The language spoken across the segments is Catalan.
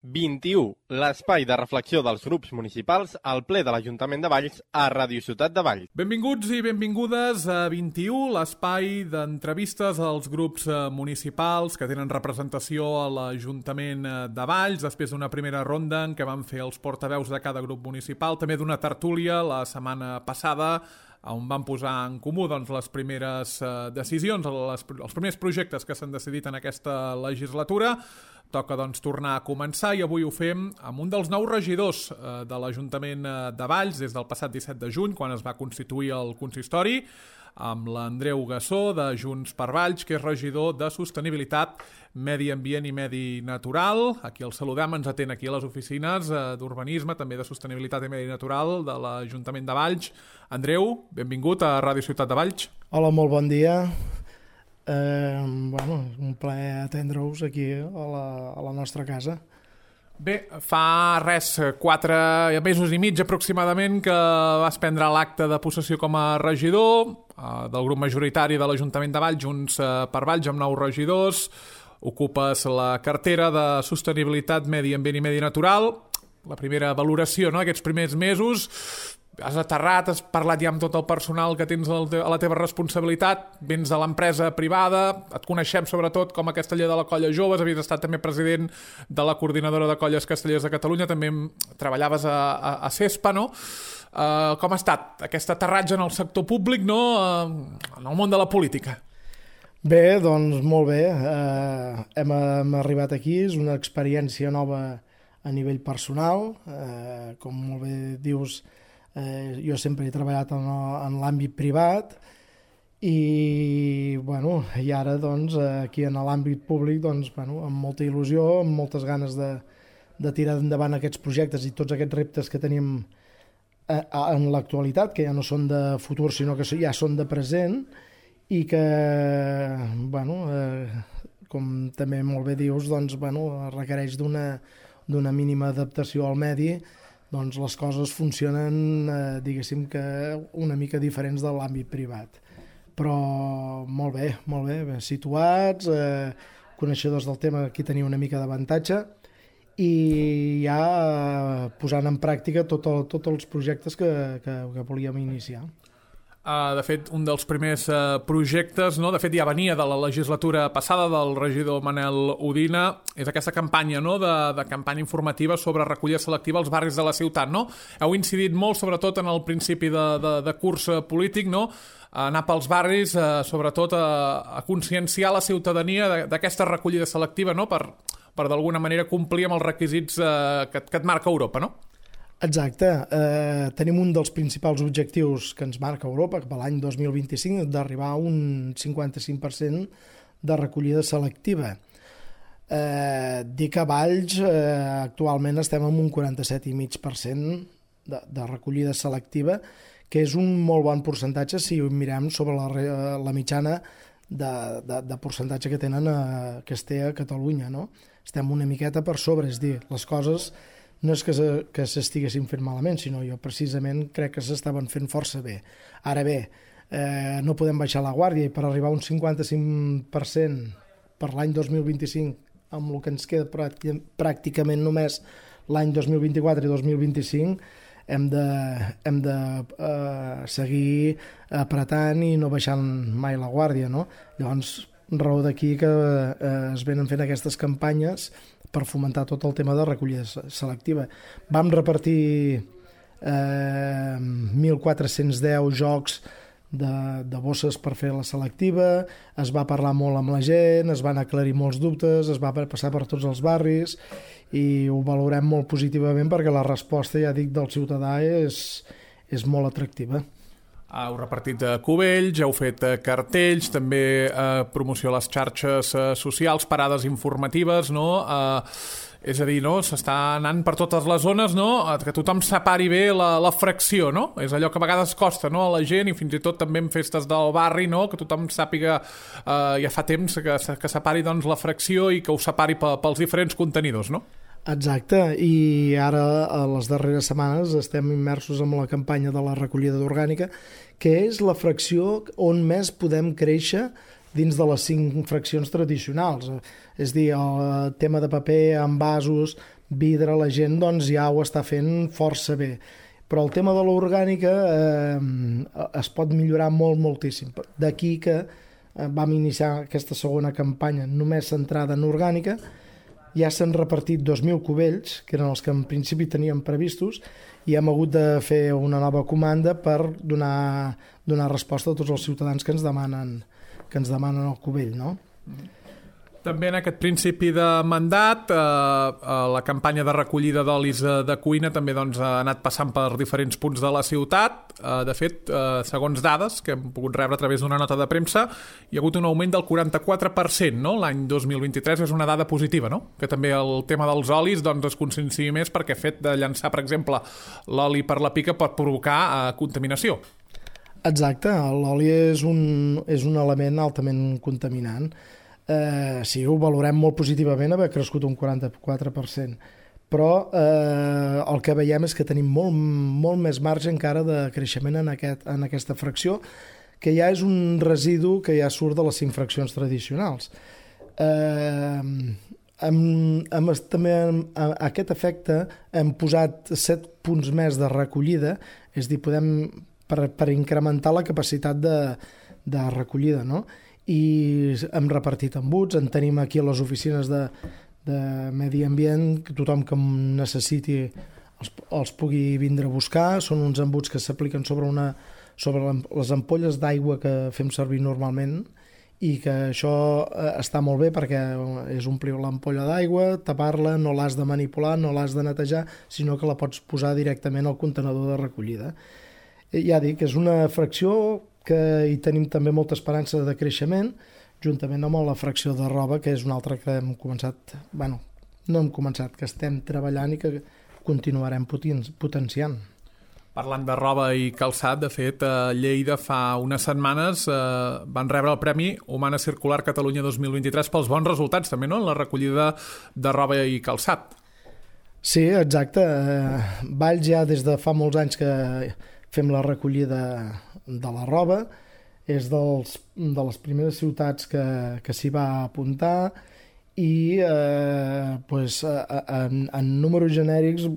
21. L'espai de reflexió dels grups municipals al ple de l'Ajuntament de Valls a Ràdio Ciutat de Valls. Benvinguts i benvingudes a 21, l'espai d'entrevistes als grups municipals que tenen representació a l'Ajuntament de Valls, després d'una primera ronda en què van fer els portaveus de cada grup municipal, també d'una tertúlia la setmana passada, on van posar en comú les primeres decisions, els primers projectes que s'han decidit en aquesta legislatura. Toca tornar a començar i avui ho fem amb un dels nous regidors de l'Ajuntament de Valls des del passat 17 de juny, quan es va constituir el consistori, amb l'Andreu Gassó de Junts per Valls, que és regidor de Sostenibilitat, Medi Ambient i Medi Natural. Aquí el saludem, ens atén aquí a les oficines d'Urbanisme, també de Sostenibilitat i Medi Natural de l'Ajuntament de Valls. Andreu, benvingut a Ràdio Ciutat de Valls. Hola, molt bon dia. Un plaer atendre-us aquí a la nostra casa. Bé, fa 4 mesos i mig aproximadament que vas prendre l'acte de possessió com a regidor del grup majoritari de l'Ajuntament de Valls, Junts per Valls, amb 9 regidors. Ocupes la cartera de Sostenibilitat, Medi Ambient i Medi Natural. La primera valoració, no?, aquests primers mesos. Has aterrat, has parlat ja amb tot el personal que tens a la teva responsabilitat, vens de l'empresa privada, et coneixem sobretot com a casteller de la Colla Joves, havies estat també president de la Coordinadora de Colles Castellers de Catalunya, també treballaves a CESPA, no? Com ha estat aquest aterratge en el sector públic, no?, en el món de la política? Bé, doncs molt bé. Hem arribat aquí, és una experiència nova a nivell personal. Com molt bé dius, jo sempre he treballat en l'àmbit privat i ara aquí en l'àmbit públic amb molta il·lusió, amb moltes ganes de tirar endavant aquests projectes i tots aquests reptes que tenim en l'actualitat, que ja no són de futur sinó que ja són de present i que com també molt bé dius requereix d'una mínima adaptació al medi. Les coses funcionen, diguéssim que una mica diferents de l'àmbit privat. Però molt bé situats, coneixedors del tema, aquí tenia una mica d'avantatge i ja posant en pràctica tots els projectes que volíem iniciar. De fet, un dels primers projectes, no? De fet ja venia de la legislatura passada del regidor Manel Udina, és aquesta campanya, no?, de campanya informativa sobre recollida selectiva als barris de la ciutat, no? Heu incidit molt, sobretot en el principi de curs polític, no?, anar pels barris, sobretot a conscienciar la ciutadania d'aquesta recollida selectiva, no?, per d'alguna manera complir amb els requisits que et marca Europa, no? Exacte. Tenim un dels principals objectius que ens marca Europa, que per l'any 2025 d'arribar a un 55% de recollida selectiva. Dic que a Valls actualment estem en un 47,5% de recollida selectiva, que és un molt bon percentatge si ho mirem sobre la mitjana de percentatge que es té a Catalunya, no? Estem una miqueta per sobre, és dir, les coses no és que s'estiguessin fent malament, sinó jo precisament crec que s'estaven fent força bé. Ara bé, no podem baixar la guàrdia i per arribar a un 55% per l'any 2025, amb el que ens queda pràcticament només l'any 2024 i 2025, hem de seguir apretant i no baixant mai la guàrdia, no? Llavors, raó d'aquí que es venen fent aquestes campanyes per fomentar tot el tema de recollida selectiva. Vam repartir 1.410 jocs de bosses per fer la selectiva, es va parlar molt amb la gent, es van aclarir molts dubtes, es va passar per tots els barris i ho valorem molt positivament perquè la resposta, ja dic, del ciutadà és molt atractiva. Heu repartit cubells, heu fet cartells, també promoció a les xarxes socials, parades informatives, no? És a dir, no? S'està anant per totes les zones, no?, que tothom separi bé la fracció, no? És allò que a vegades costa, no?, a la gent, i fins i tot també en festes del barri, no?, que tothom sàpiga, ja fa temps que separi la fracció i que ho separi pels diferents contenidors, no? Exacte, i ara a les darreres setmanes estem immersos en la campanya de la recollida d'orgànica, que és la fracció on més podem créixer dins de les 5 fraccions tradicionals. És dir, el tema de paper, envasos, vidre, la gent doncs, ja ho està fent força bé. Però el tema de l'orgànica es pot millorar moltíssim. D'aquí que vam iniciar aquesta segona campanya només centrada en orgànica. Ja s'han repartit 2.000 cubells, que eren els que en principi teníem previstos, i hem hagut de fer una nova comanda per donar resposta a tots els ciutadans que ens demanen el cubell, no? També en aquest principi de mandat, la campanya de recollida d'olis de cuina també doncs, ha anat passant per diferents punts de la ciutat. De fet, segons dades que hem pogut rebre a través d'una nota de premsa, hi ha hagut un augment del 44%, no? L'any 2023 és una dada positiva, no? Que també el tema dels olis doncs, es conscienciï més perquè el fet de llançar, per exemple, l'oli per la pica pot provocar contaminació. Exacte, l'oli és un element altament contaminant. Sí, ho valorem molt positivament haver crescut un 44%, però el que veiem és que tenim molt més marge encara de creixement en aquesta fracció, que ja és un residu que ja surt de les 5 fraccions tradicionals. També a aquest efecte hem posat 7 punts més de recollida, és a dir, podem per incrementar la capacitat de recollida, no? I hem repartit embuts, en tenim aquí a les oficines de medi ambient, que tothom que necessiti els pugui vindre a buscar. Són uns embuts que s'apliquen sobre les ampolles d'aigua que fem servir normalment, i que això està molt bé perquè és omplir l'ampolla d'aigua, tapar-la, no l'has de manipular, no l'has de netejar, sinó que la pots posar directament al contenedor de recollida. Ja dic, és una fracció que hi tenim també molta esperança de creixement, juntament amb la fracció de roba, que és una altra que hem començat, que estem treballant i que continuarem potenciant. Parlant de roba i calçat, de fet, a Lleida fa unes setmanes van rebre el Premi Humana Circular Catalunya 2023 pels bons resultats, també, no?, en la recollida de roba i calçat. Sí, exacte. Valls ja des de fa molts anys que fem la recollida de la roba, és de les primeres ciutats que s'hi va apuntar, i en números genèrics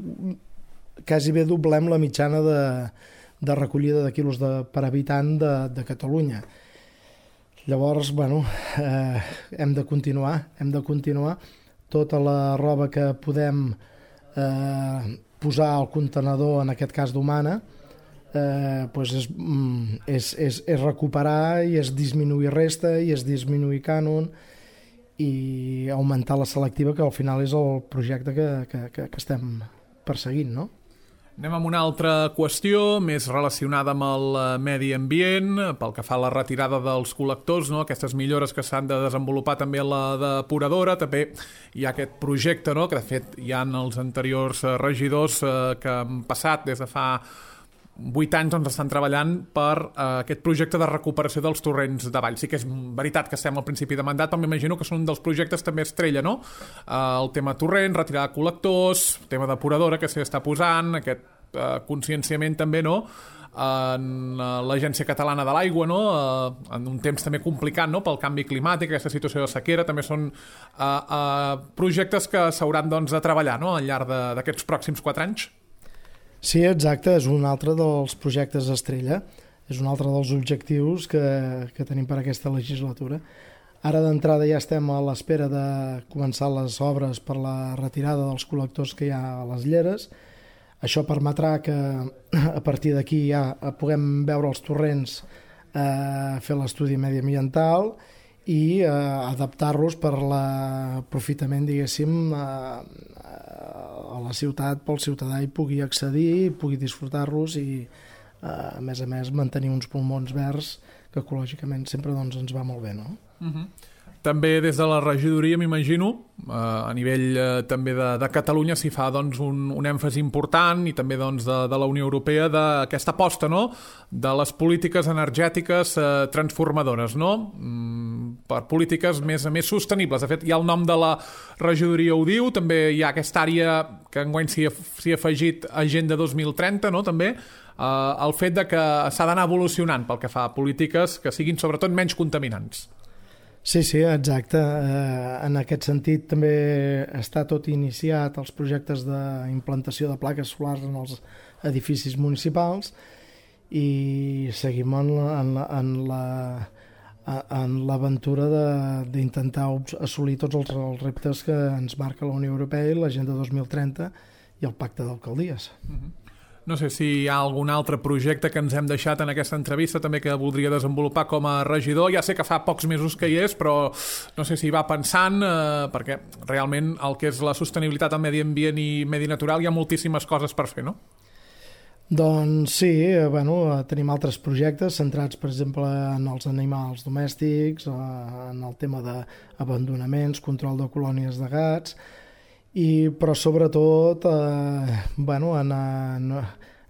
quasi bé doblem la mitjana de recollida de quilos per habitant de Catalunya. Llavors, hem de continuar. Tota la roba que podem posar al contenedor, en aquest cas d'Humana, és recuperar, i és disminuir resta, i és disminuir cànon, i augmentar la selectiva, que al final és el projecte que estem perseguint, no? Anem amb una altra qüestió més relacionada amb el medi ambient, pel que fa a la retirada dels col·lectors, no? Aquestes millores que s'han de desenvolupar també a la depuradora. També hi ha aquest projecte, no? Que de fet hi ha els anteriors regidors que han passat des de fa 8 anys doncs, estan treballant per aquest projecte de recuperació dels torrents de Valls. Sí que és veritat que estem al principi de mandat, però m'imagino que són un dels projectes també estrella, no? El tema torrent, retirar col·lectors, tema depuradora que s'hi està posant, aquest conscienciament també, no?, en l'Agència Catalana de l'Aigua, no?, en un temps també complicat, no?, pel canvi climàtic, aquesta situació de sequera. També són projectes que s'hauran doncs, de treballar, no?, al llarg d'aquests pròxims 4 anys. Sí, exacte, és un altre dels projectes estrella, és un altre dels objectius que tenim per aquesta legislatura. Ara d'entrada ja estem a l'espera de començar les obres per la retirada dels col·lectors que hi ha a les lleres. Això permetrà que a partir d'aquí ja puguem veure els torrents, fer l'estudi mediambiental i adaptar-los per l'aprofitament, diguéssim, a la ciutat, pel ciutadà hi pugui accedir, pugui disfrutar-los i, a més, mantenir uns pulmons verds que ecològicament sempre doncs, ens va molt bé, no? També des de la regidoria, m'imagino, a nivell també de Catalunya s'hi fa doncs, un èmfasi important, i també doncs, de la Unió Europea, d'aquesta aposta, no?, de les polítiques energètiques transformadores, no?, per polítiques més sostenibles. De fet, ja el nom de la regidoria ho diu, també hi ha aquesta àrea que enguany s'hi ha afegit Agenda 2030, no?, també, el fet de que s'ha d'anar evolucionant pel que fa a polítiques que siguin sobretot menys contaminants. Sí, exacte. En aquest sentit també està tot iniciat els projectes d'implantació de plaques solars en els edificis municipals i seguim en l'aventura d'intentar assolir tots els reptes que ens marca la Unió Europea i l'Agenda 2030 i el Pacte d'Alcaldies. No sé si hi ha algun altre projecte que ens hem deixat en aquesta entrevista també que voldria desenvolupar com a regidor. Ja sé que fa pocs mesos que hi és, però no sé si hi va pensant, perquè realment el que és la sostenibilitat al medi ambient i medi natural hi ha moltíssimes coses per fer, no? Doncs sí, tenim altres projectes centrats, per exemple, en els animals domèstics, en el tema d'abandonaments, control de colònies de gats, però sobretot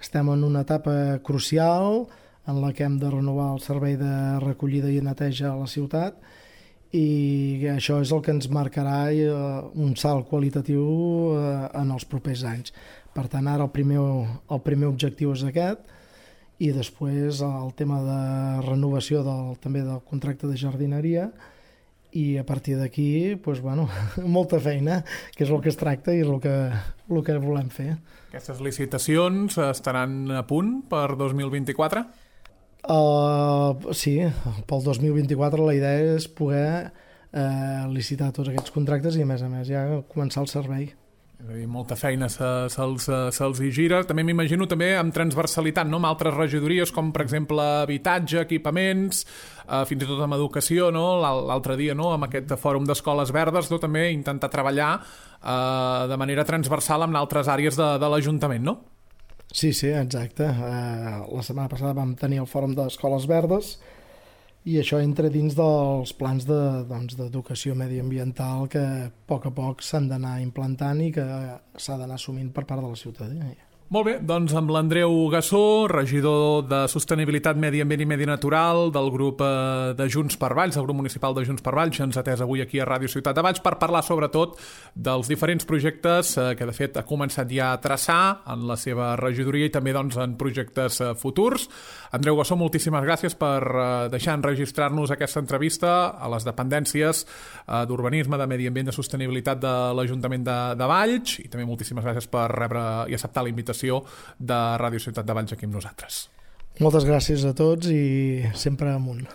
estem en una etapa crucial en la que hem de renovar el servei de recollida i neteja a la ciutat i això és el que ens marcarà un salt qualitatiu en els propers anys. Per tant, ara el primer objectiu és aquest i després el tema de renovació també del contracte de jardineria i a partir d'aquí, molta feina, que és el que es tracta i el que volem fer. Aquestes licitacions estaran a punt per 2024? Sí, pel 2024 la idea és poder licitar tots aquests contractes i a més ja començar el servei. És a dir, molta feina se'ls hi gira. També m'imagino també amb transversalitat, no? Amb altres regidories com per exemple habitatge, equipaments, fins i tot amb educació, no? L'altre dia, no? Amb aquest fòrum d'escoles verdes, no? També intentar treballar de manera transversal amb altres àrees de l'Ajuntament, no? Sí, exacte. La setmana passada vam tenir el fòrum d'escoles verdes i això entra dins dels plans d'educació mediambiental que a poc s'han d'anar implantant i que s'ha d'anar assumint per part de la ciutadania. Molt bé, doncs amb l'Andreu Gassó, regidor de Sostenibilitat, Medi Ambient i Medi Natural del grup de Junts per Valls, del grup municipal de Junts per Valls, ens ha atès avui aquí a Ràdio Ciutat de Valls per parlar sobretot dels diferents projectes que de fet ha començat ja a traçar en la seva regidoria i també en projectes futurs. Andreu Gassó, moltíssimes gràcies per deixar enregistrar-nos aquesta entrevista a les dependències d'urbanisme, de medi ambient, de sostenibilitat de l'Ajuntament de Valls i també moltíssimes gràcies per rebre i acceptar la invitació de Ràdio Ciutat de Valls aquí amb nosaltres. Moltes gràcies a tots i sempre amunt.